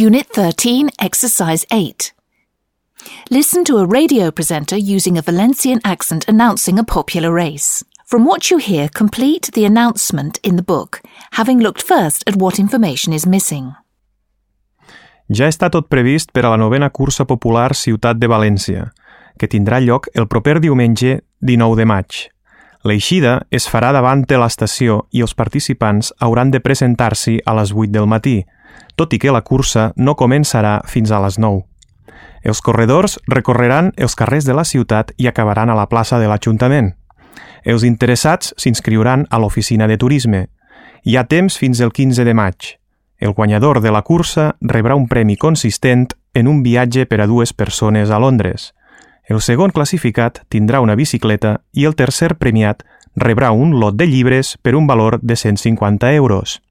Unit 13, Exercise 8. Listen to a radio presenter using a Valencian accent announcing a popular race. From what you hear, complete the announcement in the book, having looked first at what information is missing. Ja està tot previst per a la 9a cursa popular Ciutat de València, que tindrà lloc el proper diumenge 19 de maig. L'eixida es farà davant de l'estació i els participants hauran de presentar-s'hi a les 8 del matí, tot i que la cursa no començarà fins a les 9. Els corredors recorreran els carrers de la ciutat i acabaran a la plaça de l'Ajuntament. Els interessats s'inscriuran a l'oficina de turisme. Hi ha temps fins el 15 de maig. El guanyador de la cursa rebrà un premi consistent en un viatge per a 2 persones a Londres. El segon classificat tindrà una bicicleta i el tercer premiat rebrà un lot de llibres per un valor de 150 euros.